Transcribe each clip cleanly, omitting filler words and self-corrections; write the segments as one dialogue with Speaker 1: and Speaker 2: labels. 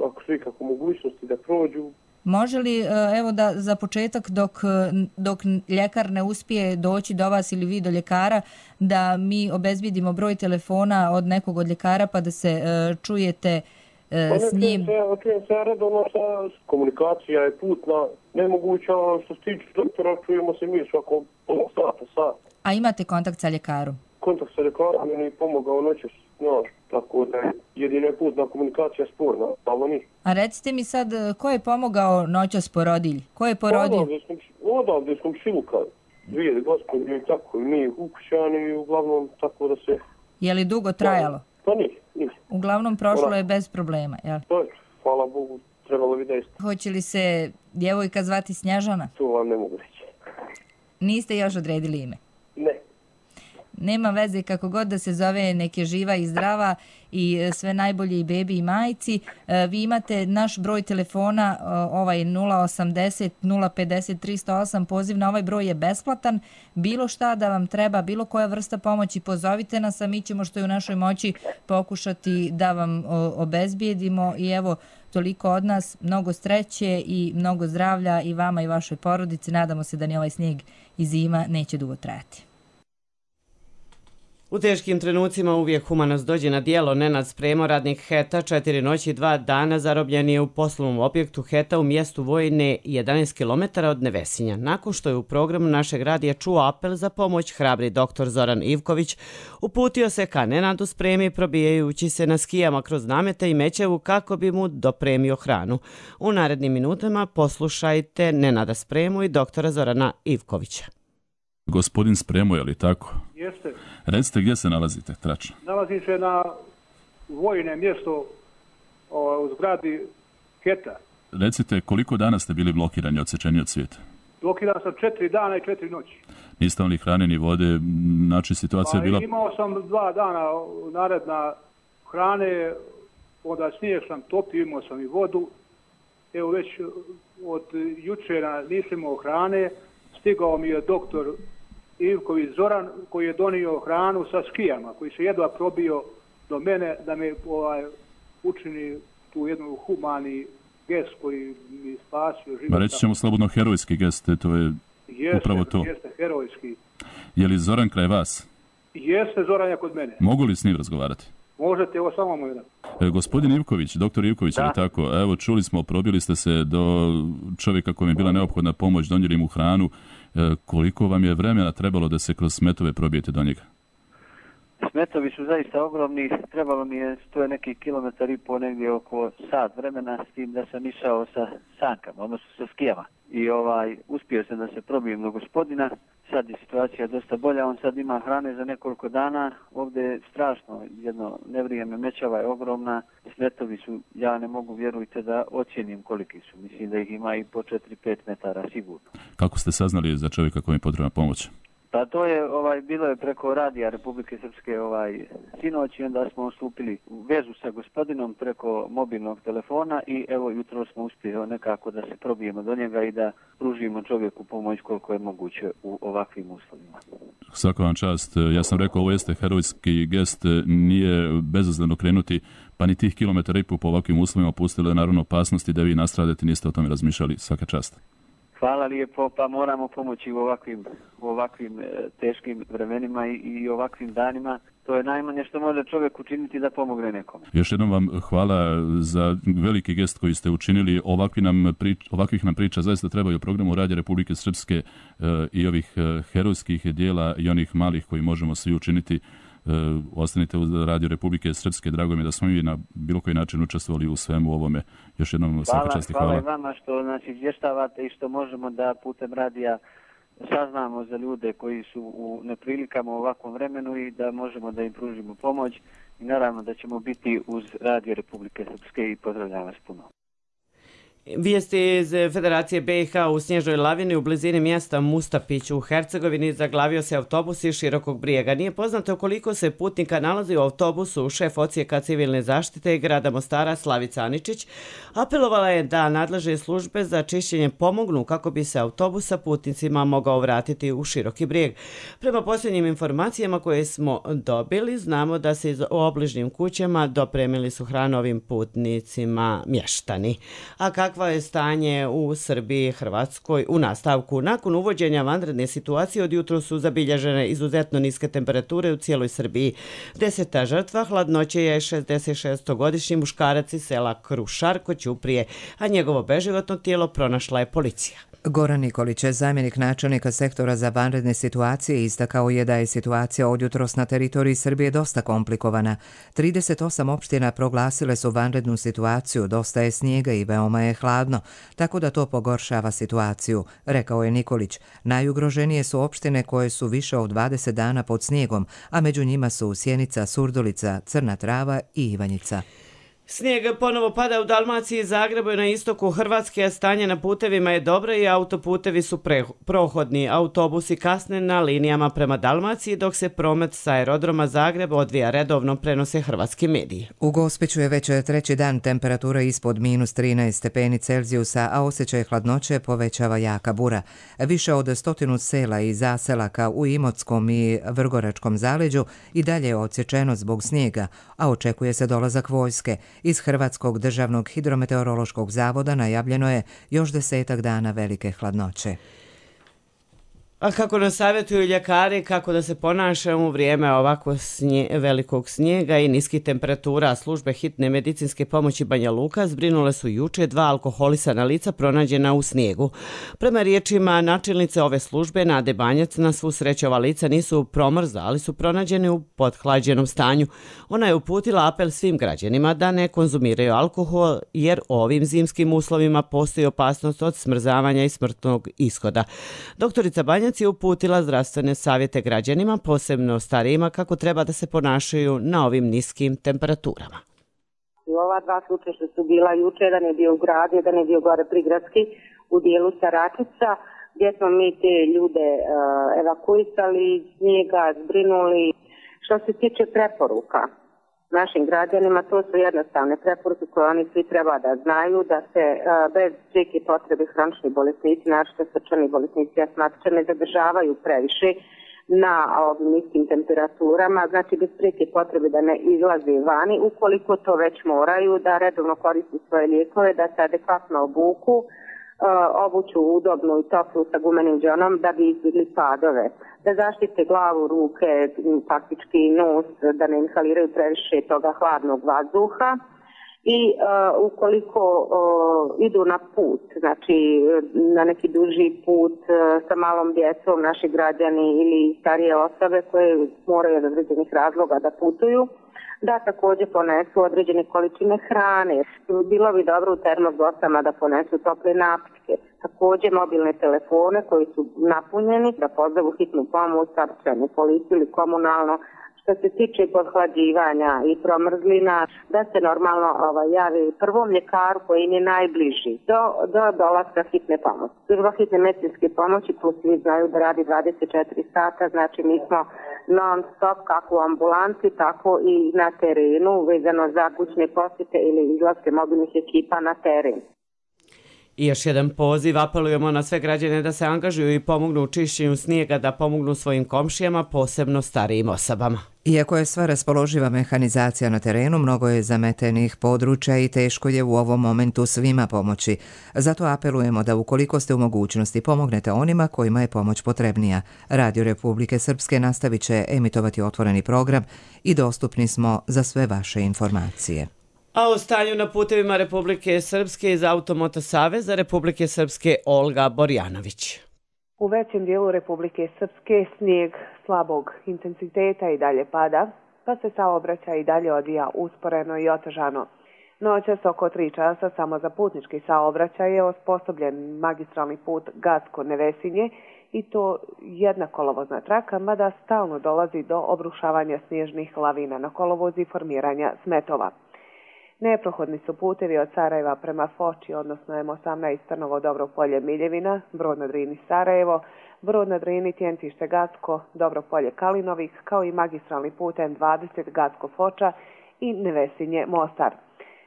Speaker 1: ako su ikako mogućnosti da prođu.
Speaker 2: Može li, evo da za početak dok ljekar ne uspije doći do vas ili vi do ljekara, da mi obezbjedimo broj telefona od nekog od ljekara pa da se čujete s njim?
Speaker 1: Čujem se redovno, komunikacija je putna, nemoguća, što se tiče doktora, čujemo se mi svako sat.
Speaker 2: A imate kontakt sa ljekarom?
Speaker 1: Kontakt sa ljekarom mi je pomogao noćas, tako da jedina je putna komunikacija sporna, ali nije.
Speaker 2: A recite mi sad, ko je pomogao noćas porodilji? Ko je porodio?
Speaker 1: Odavde smo Šiluka, 2 gospođe i tako, i mi ukućani, uglavnom tako da se...
Speaker 2: Je li dugo trajalo?
Speaker 1: Pa nije.
Speaker 2: Uglavnom prošlo je bez problema, jel?
Speaker 1: To je, hvala Bogu, trebalo bi da jeste.
Speaker 2: Hoće li se djevojka zvati Snježana?
Speaker 1: To vam ne mogu reći.
Speaker 2: Niste još odredili ime?
Speaker 1: Ne.
Speaker 2: Nema veze, kako god da se zove, nek je živa i zdrava i sve najbolje i bebi i majci. Vi imate naš broj telefona, ovaj 080 050 308, poziv na ovaj broj je besplatan. Bilo šta da vam treba, bilo koja vrsta pomoći, pozovite nas, a mi ćemo što je u našoj moći pokušati da vam obezbijedimo. I evo, toliko od nas, mnogo sreće i mnogo zdravlja i vama i vašoj porodici. Nadamo se da ni ovaj snijeg i zima neće dugo trajati.
Speaker 3: U teškim trenucima uvijek humanost dođe na dijelo. Nenad Spremo, radnik HET-a, 4 noći i 2 dana zarobljen je u poslovnom objektu HET-a u mjestu Vojne 11 km od Nevesinja. Nakon što je u programu našeg radija čuo apel za pomoć, hrabri doktor Zoran Ivković uputio se ka Nenadu Spremi probijajući se na skijama kroz namete i Mećevu kako bi mu dopremio hranu. U narednim minutama poslušajte Nenada Spremu i doktora Zorana Ivkovića.
Speaker 4: Gospodin Spremo, je li tako?
Speaker 5: Jeste.
Speaker 4: Recite gdje se nalazite, tračno?
Speaker 5: Nalazim se na Vojne mjesto u zgradi HET-a.
Speaker 4: Recite, koliko dana ste bili blokirani, odsečeni od svijeta?
Speaker 5: Blokiran sam 4 dana i 4 noći.
Speaker 4: Niste li hrane ni vode, znači situacija je bila...
Speaker 5: Imao sam 2 dana naredna hrane, onda snijeg sam topio, imao sam i vodu. Evo već od jučera nisam imao hrane, stigao mi je doktor Ivković Zoran koji je donio hranu sa skijama, koji se jedva probio do mene da me učini tu jednu humani gest koji mi spasio život.
Speaker 4: Reći ćemo slobodno herojski gest, to je upravo to.
Speaker 5: Jeste, herojski.
Speaker 4: Je li Zoran kraj vas?
Speaker 5: Jeste, Zoran je kod mene.
Speaker 4: Mogu li s njim razgovarati?
Speaker 5: Možete, evo samo moj jedan.
Speaker 4: Gospodin Ivković, doktor Ivković, je li tako? Evo, čuli smo, probili ste se do čovjeka kojem je bila neophodna pomoć, donijeli mu hranu. Koliko vam je vremena trebalo da se kroz smetove probijete do njega?
Speaker 6: Smetovi su zaista ogromni, trebalo mi je, to je neki 1,5 km, negdje oko sat vremena, s tim da sam išao sa sankama, odnosno sa skijama. I uspio sam da se probijem do gospodina, sad je situacija dosta bolja, on sad ima hrane za nekoliko dana, ovdje je strašno, jedno nevrijeme, Mećava je ogromna, smetovi su, ja ne mogu, vjerujte, da ocjenim koliki su, mislim da ih ima i po 4-5 metara sigurno.
Speaker 4: Kako ste saznali za čovjeka kojem je potrebna pomoć?
Speaker 6: Pa to je, bilo je preko radija Republike Srpske sinoć i onda smo stupili u vezu sa gospodinom preko mobilnog telefona i evo jutro smo uspjeli nekako da se probijemo do njega i da pružimo čovjeku pomoć koliko je moguće u ovakvim uslovima.
Speaker 4: Svaka vam čast. Ja sam rekao, ovo jeste herojski gest, nije bezazleno krenuti, pa ni tih 1,5 km po ovakvim uslovima pustili naravno opasnosti da vi nastradete, niste o tome razmišljali. Svaka čast.
Speaker 6: Hvala lijepo, pa moramo pomoći u ovakvim teškim vremenima i ovakvim danima. To je najmanje što može čovjek učiniti da pomogne nekome.
Speaker 4: Još jednom vam hvala za veliki gest koji ste učinili. Ovakvih nam priča zaista trebaju u programu Radija Republike Srpske i ovih herojskih dijela i onih malih koji možemo svi učiniti. Ostanite u Radio Republike Srpske. Drago mi je da smo mi na bilo koji način učestvovali u svemu ovome. Još jednom svaka čast i hvala.
Speaker 6: Hvala i vama što nas izvještavate i što možemo da putem radija saznamo za ljude koji su u neprilikama u ovakvom vremenu i da možemo da im pružimo pomoć i naravno da ćemo biti uz Radio Republike Srpske i pozdravljam vas puno.
Speaker 3: Vijesti iz Federacije BiH u snježnoj lavini u blizini mjesta Mustapić u Hercegovini zaglavio se autobus iz Širokog Brijega. Nije poznato koliko se putnika nalazi u autobusu. Šef odsjeka civilne zaštite grada Mostara Slavica Aničić apelovala je da nadležne službe za čišćenje pomognu kako bi se autobus sa putnicima mogao vratiti u Široki Brijeg. Prema posljednjim informacijama koje smo dobili, znamo da se iz obližnjim kućama dopremili su hranu ovim putnicima mještani. A kakva je stanje u Srbiji i Hrvatskoj u nastavku? Nakon uvođenja vanredne situacije od jutro su zabilježene izuzetno niske temperature u cijeloj Srbiji. 10. žrtva hladnoće je 66-godišnji muškarac iz sela Krušar kod Ćuprije, a njegovo beživotno tijelo pronašla je policija.
Speaker 7: Goran Nikolić, zamjenik načelnika sektora za vanredne situacije, istakao je da je situacija od jutros na teritoriji Srbije dosta komplikovana. 38 opština proglasile su vanrednu situaciju, dosta je snijega i veoma je hladno, tako da to pogoršava situaciju, rekao je Nikolić. Najugroženije su opštine koje su više od 20 dana pod snijegom, a među njima su Sjenica, Surdulica, Crna Trava i Ivanjica.
Speaker 3: Snijeg ponovo pada u Dalmaciji i Zagrebu i na istoku Hrvatske, a stanje na putevima je dobro i autoputevi su prohodni. Autobusi kasne na linijama prema Dalmaciji, dok se promet sa aerodroma Zagreb odvija redovno, prenose hrvatski mediji.
Speaker 7: U Gospiću je već treći dan temperatura ispod -13 stepeni Celzijusa, a osjećaj hladnoće povećava jaka bura. Više od 100 sela i zaselaka u Imotskom i Vrgoračkom zaleđu i dalje je odsječeno zbog snijega, a očekuje se dolazak vojske. Iz Hrvatskog državnog hidrometeorološkog zavoda najavljeno je još 10 dana velike hladnoće.
Speaker 3: A kako nas savjetuju ljekari kako da se ponašamo u vrijeme ovako velikog snijega i niskih temperatura, službe hitne medicinske pomoći Banja Luka zbrinule su juče 2 alkoholisana lica pronađena u snijegu. Prema riječima načelnice ove službe Nade Banjac, na svu sreću ova lica nisu promrzla, ali su pronađeni u pothlađenom stanju. Ona je uputila apel svim građanima da ne konzumiraju alkohol, jer u ovim zimskim uslovima postoji opasnost od smrzavanja i smrtnog ishoda. Doktorica Banjac je uputila zdravstvene savjete građanima, posebno starijima, kako treba da se ponašaju na ovim niskim temperaturama.
Speaker 8: Ova 2 slučaja što su bila juče, jedan je bio u gradu, jedan je bio gore prigradski u dijelu Saračica, gdje smo mi te ljude evakuisali, snijega, zbrinuli. Što se tiče preporuka našim građanima, to su jednostavne preporuke koje oni svi treba da znaju, da se bez prijeke potrebe hronični bolesnici, naročito srčani bolesnici, astmatičari, ne zadržavaju previše na ovim niskim temperaturama, znači bez prijeke potrebe da ne izlaze vani, ukoliko to već moraju, da redovno koriste svoje lijekove, da se adekvatno obuku, obuću udobnu i toplu sa gumenim džonom da bi izbjegli padove, da zaštite glavu, ruke, faktički nos, da ne inhaliraju previše toga hladnog vazduha i ukoliko idu na put, znači na neki duži put sa malom djecom, naši građani ili starije osobe koje moraju od određenih razloga da putuju, da također ponesu određene količine hrane. Bilo bi dobro u termobosama da ponesu tople napitke. Također mobilne telefone koji su napunjeni, da pozovu hitnu pomoć, saobraćajnu policiju ili komunalno. Što se tiče podhlađivanja i promrzlina, da se normalno javi prvom ljekaru koji im je najbliži do dolaska hitne pomoći. Služba hitne medicinske pomoći plus svi znaju da radi 24 sata, znači mi smo non stop kako u ambulanti, tako i na terenu vezano za kućne posjete ili izlaske mobilnih ekipa na teren.
Speaker 3: I još jedan poziv, apelujemo na sve građane da se angažuju i pomognu u čišćenju snijega, da pomognu svojim komšijama, posebno starijim osobama.
Speaker 7: Iako je sva raspoloživa mehanizacija na terenu, mnogo je zametenih područja i teško je u ovom momentu svima pomoći. Zato apelujemo da ukoliko ste u mogućnosti pomognete onima kojima je pomoć potrebnija. Radio Republike Srpske nastavit će emitovati otvoreni program i dostupni smo za sve vaše informacije.
Speaker 3: A o stanju na putevima Republike Srpske iz Automoto Saveza Republike Srpske Olga Borjanović.
Speaker 9: U većem dijelu Republike Srpske snijeg slabog intenziteta i dalje pada, pa se saobraćaj i dalje odvija usporeno i otežano. Noćas oko 3 časa samo za putnički saobraćaj je osposobljen magistralni put Gacko-Nevesinje i to jedna kolovozna traka, mada stalno dolazi do obrušavanja snježnih lavina na kolovozi i formiranja smetova. Neprohodni su putevi od Sarajeva prema Foči, odnosno M18 Trnovo Dobro Polje Miljevina, Brod na Drini Sarajevo, Brod na Drini Tjentište Gacko, Dobro Polje Kalinovik, kao i magistralni put M20 Gacko Foča i Nevesinje Mostar.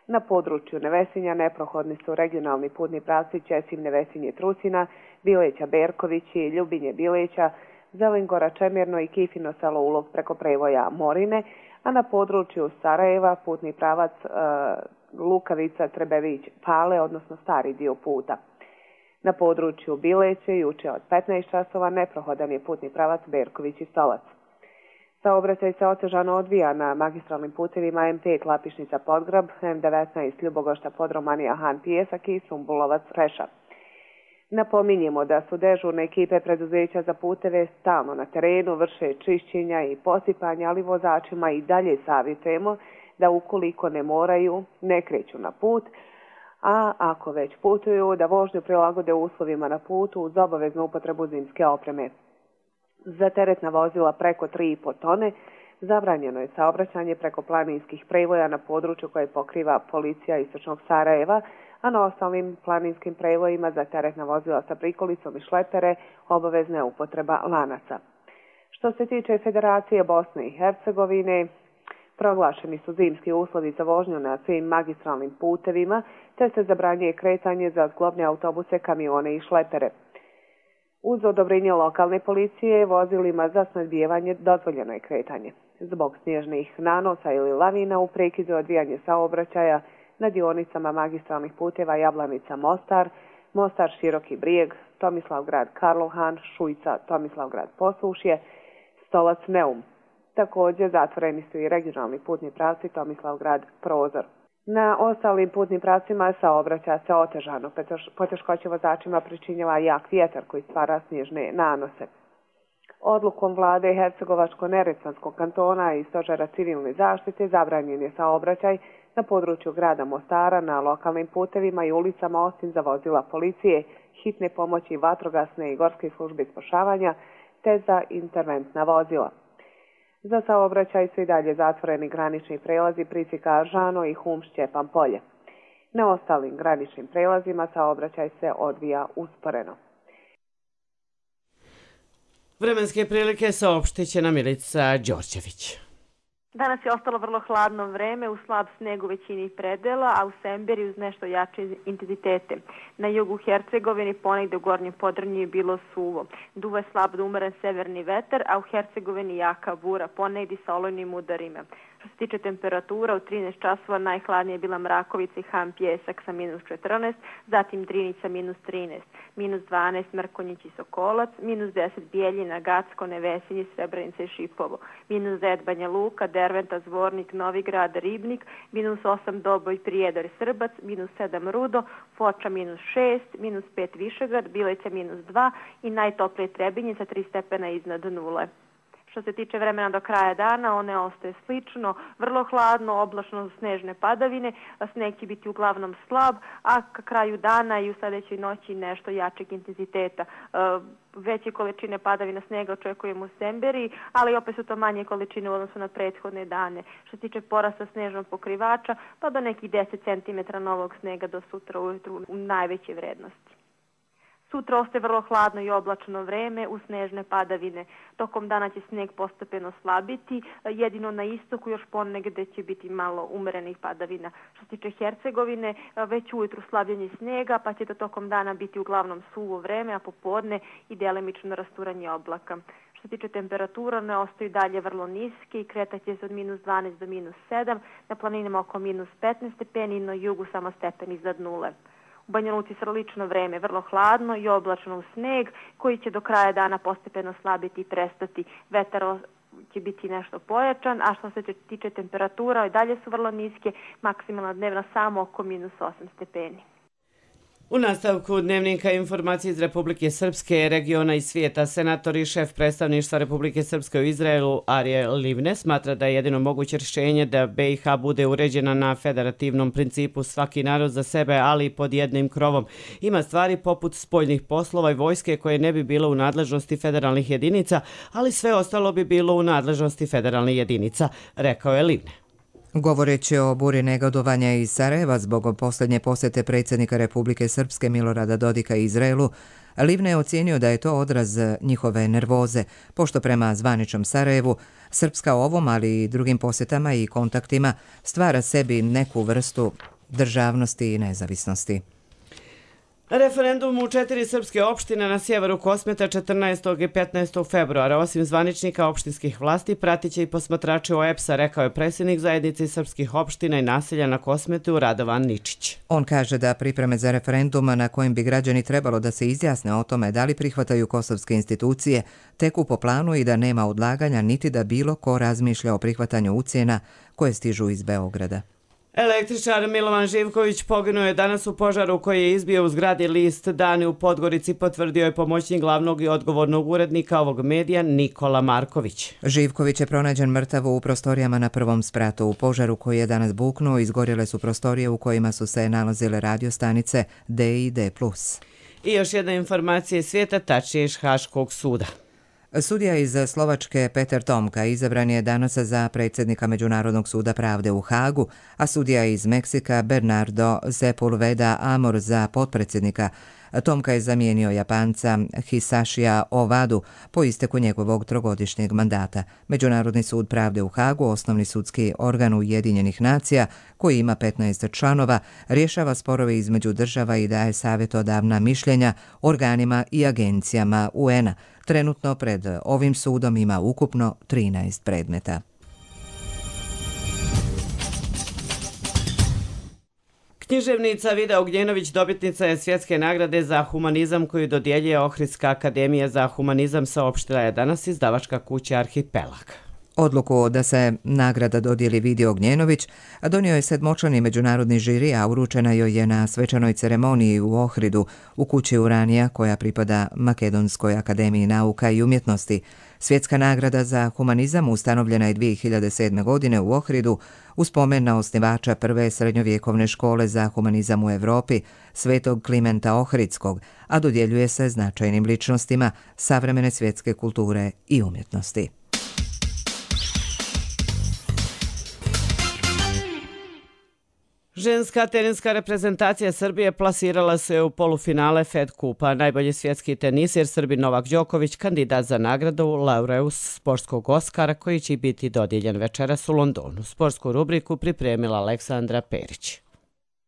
Speaker 9: Na području Nevesinja neprohodni su regionalni putni pravci Ćesim Nevesinje Trusina, Bileća Berkovići, Ljubinje Bileća, Zelengora Čemirno i Kifino Selo Ulog preko prevoja Morine, a na području Sarajeva putni pravac Lukavica Trebević Pale, odnosno stari dio puta. Na području Bileće juče od 15 časova neprohodan je putni pravac Berković i Stolac. Saobraćaj se otežano odvija na magistralnim putevima M5 Lapišnica Podgrab, M19 Ljubogošta Podromanija Han Pijesak i Sumbulovac Reša. Napominjemo da su dežurne ekipe preduzeća za puteve stalno na terenu, vrše čišćenja i posipanja, ali vozačima i dalje savjetujemo da ukoliko ne moraju, ne kreću na put, a ako već putuju, da vožnju prilagode uslovima na putu uz obaveznu upotrebu zimske opreme. Za teretna vozila preko 3,5 tone zabranjeno je saobraćanje preko planinskih prevoja na području koje pokriva policija Istočnog Sarajeva, a na ostalim planinskim prevojima za teretna vozila sa prikolicom i šlepere obavezna je upotreba lanaca. Što se tiče Federacije Bosne i Hercegovine, proglašeni su zimski uslovi za vožnju na svim magistralnim putevima, te se zabranjuje kretanje za zglobne autobuse, kamione i šlepere. Uz odobrenje lokalne policije, vozilima za snadbijevanje dozvoljeno je kretanje. Zbog snježnih nanosa ili lavina u prekidu odvijanje saobraćaja na dionicama magistralnih puteva Jablanica Mostar, Mostar Široki Brijeg, Tomislavgrad Karlohan, Šujca Tomislavgrad Posušje, Stolac Neum. Također zatvoreni su i regionalni putni pravci Tomislavgrad Prozor. Na ostalim putnim pravcima saobraća se otežano. Poteškoće vozačima pričinjava jak vjetar koji stvara snježne nanose. Odlukom vlade Hercegovačko-Neretvanskog kantona i Stožera civilne zaštite zabranjen je saobraćaj na području grada Mostara na lokalnim putevima i ulicama osim za vozila policije, hitne pomoći, vatrogasne i gorske službe spašavanja te za interventna vozila. Za saobraćaj su i dalje zatvoreni granični prelazi Prisika Žano i Hum Šćepan Polje. Na ostalim graničnim prelazima saobraćaj se odvija usporeno.
Speaker 3: Vremenske prilike saopštit će nam Milica Đorđević.
Speaker 10: Danas je ostalo vrlo hladno vreme, uz slab sneg u većini predela, a u Semberi uz nešto jače intenzitete. Na jugu Hercegovini ponegde u gornjem Podrinju je bilo suvo. Duva je slab do umeren severni vetar, a u Hercegovini jaka bura, ponegde sa olujnim udarima. Što se tiče temperatura, u 13 časova najhladnije je bila Mrakovica i Han Pijesak sa minus 14, zatim Drinica minus 13, minus 12 Mrkonjić i Sokolac, minus 10 Bijeljina, Gacko, Nevesinje, Srebrenica i Šipovo, minus 9 Banja Luka, Derventa, Zvornik, Novigrad, Ribnik, minus 8 Doboj, Prijedor i Srbac, minus 7 Rudo, Foča minus 6, minus 5 Višegrad, Bileća minus 2 i najtoplije Trebinje sa 3 stepena iznad nule. Što se tiče vremena do kraja dana, one ostaje slično, vrlo hladno, oblačno snežne padavine, a sneg će biti uglavnom slab, a ka kraju dana i u sljedećoj noći nešto jačeg intenziteta. Veće količine padavina snega očekujemo u Semberi, ali opet su to manje količine u odnosu na prethodne dane. Što se tiče porasta snežnog pokrivača, pa do nekih 10 cm novog snega do sutra ujutru u najveće vrednosti. Sutra ostaje vrlo hladno i oblačno vreme uz snežne padavine. Tokom dana će sneg postepeno slabiti, jedino na istoku još ponegde će biti malo umerenih padavina. Što se tiče Hercegovine, već ujutru slabljenje snega, pa će to tokom dana biti uglavnom suvo vreme, a popodne i delimično rasturanje oblaka. Što se tiče temperatura, one ostaju dalje vrlo niske i kretaće se od minus 12 do minus 7, na planinama oko minus 15 stepeni, na jugu samo stepen iznad nule. U Banja Luci slično vreme, vrlo hladno i oblačno uz sneg, koji će do kraja dana postepeno slabiti i prestati. Vetar će biti nešto pojačan, a što se tiče temperatura, i dalje su vrlo niske, maksimalna dnevna samo oko minus 8 stepeni.
Speaker 3: U nastavku dnevnika informacije iz Republike Srpske, regiona i svijeta, senator i šef predstavništva Republike Srpske u Izraelu Arije Livne smatra da je jedino moguće rješenje da BiH bude uređena na federativnom principu svaki narod za sebe, ali i pod jednim krovom. Ima stvari poput spoljnih poslova i vojske koje ne bi bilo u nadležnosti federalnih jedinica, ali sve ostalo bi bilo u nadležnosti federalnih jedinica, rekao je Livne.
Speaker 7: Govoreći o buri negodovanja iz Sarajeva zbog posljednje posjete predsjednika Republike Srpske Milorada Dodika Izraelu, Livne je ocijenio da je to odraz njihove nervoze, pošto prema zvaničnom Sarajevu Srpska ovom, ali i drugim posjetama i kontaktima stvara sebi neku vrstu državnosti i nezavisnosti.
Speaker 3: Referendum u 4 srpske opštine na sjeveru Kosmeta 14. i 15. februara. Osim zvaničnika opštinskih vlasti, pratiće i posmatrače OEBS-a, rekao je predsjednik zajednice srpskih opština i naselja na Kosmetu Radovan Ničić.
Speaker 7: On kaže da pripreme za referendum na kojim bi građani trebalo da se izjasne o tome da li prihvataju kosovske institucije teku po planu i da nema odlaganja niti da bilo ko razmišlja o prihvatanju ucjena koje stižu iz Beograda.
Speaker 3: Električar Milovan Živković poginuo je danas u požaru koji je izbio u zgradi List Dani u Podgorici, potvrdio je pomoćnik glavnog i odgovornog urednika ovog medija Nikola Marković.
Speaker 7: Živković je pronađen mrtav u prostorijama na prvom spratu. U požaru koji je danas buknuo izgorjele su prostorije u kojima su se nalazile radiostanice D i D+.
Speaker 3: I još jedna informacija iz svijeta, tačnije iz Haškog suda.
Speaker 7: Sudija iz Slovačke Peter Tomka izabran je danas za predsjednika Međunarodnog suda pravde u Hagu, a sudija iz Meksika Bernardo Sepulveda Amor za potpredsjednika. Tomka je zamijenio Japanca Hisashija Ovadu po isteku njegovog trogodišnjeg mandata. Međunarodni sud pravde u Hagu, osnovni sudski organ Ujedinjenih nacija, koji ima 15 članova, rješava sporove između država i daje savjetodavna mišljenja organima i agencijama UN-a. Trenutno pred ovim sudom ima ukupno 13 predmeta.
Speaker 3: Književnica Vida Ugnjenović dobitnica je svjetske nagrade za humanizam koju dodjeljuje Ohridska akademija za humanizam, saopštila je danas izdavačka kuća Arhipelag.
Speaker 7: Odluku da se nagrada dodijeli Vidi Ognjenović donio je 7-člani međunarodni žiri, a uručena joj je na svečanoj ceremoniji u Ohridu u kući Uranija koja pripada Makedonskoj akademiji nauka i umjetnosti. Svjetska nagrada za humanizam ustanovljena je 2007. godine u Ohridu u spomen na osnivača prve srednjovjekovne škole za humanizam u Evropi, svetog Klimenta Ohridskog, a dodjeljuje se značajnim ličnostima savremene svjetske kulture i umjetnosti.
Speaker 3: Ženska teniska reprezentacija Srbije plasirala se u polufinale Fed Kupa. Najbolji svjetski tenisir Srbin Novak Đoković kandidat za nagradu Laureus sportskog Oskara koji će biti dodijeljen večeras u Londonu. Sportsku rubriku pripremila Aleksandra Perić.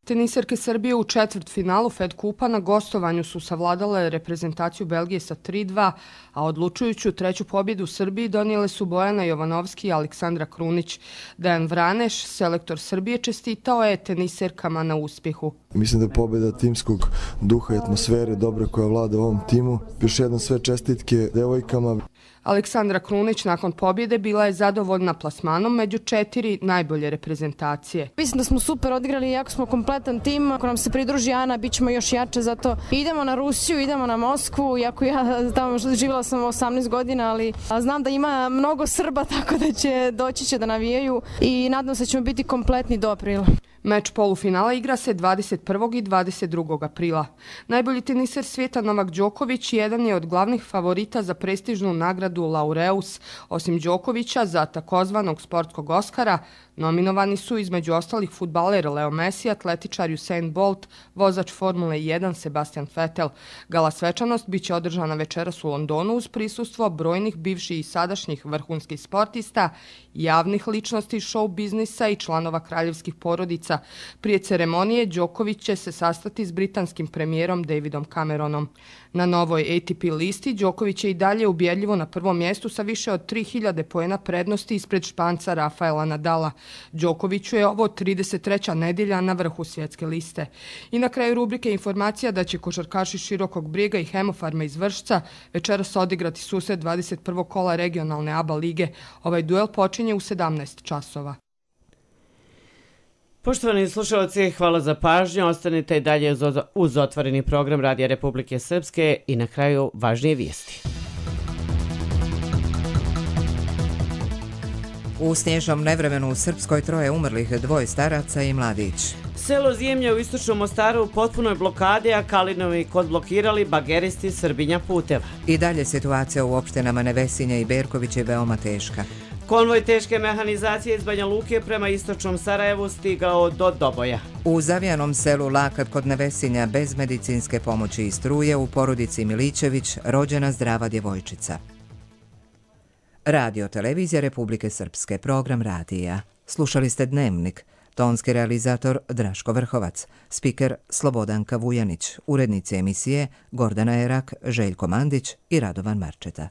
Speaker 11: Tenisarke Srbije u četvrtfinalu Fed Kupa na gostovanju su savladale reprezentaciju Belgije sa 3-2, a odlučujuću treću pobjedu u Srbiji donijele su Bojana Jovanovski i Aleksandra Krunić. Dejan Vraneš, selektor Srbije, čestitao je tenisarkama na uspjehu.
Speaker 12: Mislim da je pobjeda timskog duha i atmosfere dobre koja vlada u ovom timu. Još jednom sve čestitke devojkama.
Speaker 11: Aleksandra Krunić nakon pobjede bila je zadovoljna plasmanom među 4 najbolje reprezentacije.
Speaker 13: Mislim da smo super odigrali, jako smo kompletan tim. Ako nam se pridruži Ana, bit ćemo još jače, zato idemo na Rusiju, idemo na Moskvu. Iako ja tamo živjela sam 18 godina, ali znam da ima mnogo Srba, tako da doći će da navijaju i nadam se da ćemo biti kompletni do aprila.
Speaker 11: Meč polufinala igra se 21. i 22. aprila. Najbolji teniser svijeta Novak Đoković jedan je od glavnih favorita za prestižnu nagradu Laureus. Osim Đokovića, za takozvanog sportskog Oskara nominovani su između ostalih fudbaler Leo Messi, atletičar Usain Bolt, vozač Formule 1 Sebastian Vettel. Gala svečanost biće održana večeras u Londonu uz prisustvo brojnih bivših i sadašnjih vrhunskih sportista, javnih ličnosti show biznisa i članova kraljevskih porodica. Prije ceremonije Đoković će se sastati s britanskim premijerom Davidom Cameronom. Na novoj ATP listi Đoković je i dalje ubjedljivo na prvom mjestu sa više od 3000 poena prednosti ispred Španca Rafaela Nadala. Đokoviću je ovo 33. nedjelja na vrhu svjetske liste. I na kraju rubrike informacija da će košarkaši Širokog Brijega i Hemofarma iz Vršca večeras odigrati susret 21. kola regionalne ABA lige. Ovaj duel počinje u 17 časova.
Speaker 3: Poštovani slušalci, hvala za pažnju. Ostanite i dalje uz otvoreni program Radija Republike Srpske i na kraju važnije vijesti.
Speaker 7: U snježnom nevremenu u Srpskoj 3 umrlih, 2 staraca i mladić.
Speaker 3: Selo Zjemlje u istočnom Mostaru u potpunoj blokadi, a Kalinovi kod blokirali bageristi Srbinja puteva.
Speaker 7: I dalje situacija u opštinama Nevesinje i Berković je veoma teška.
Speaker 3: Konvoj teške mehanizacije iz Banja Luke prema istočnom Sarajevu stigao do Doboja.
Speaker 7: U Zavijanom selu Lakat kod Nevesinja bez medicinske pomoći i struje u porodici Milićević rođena zdrava djevojčica. Radio Televizija Republike Srpske, program radija. Slušali ste Dnevnik. Tonski realizator Draško Vrhovac, spiker Slobodanka Vujanić, urednici emisije Gordana Erak, Željko Mandić i Radovan Marčeta.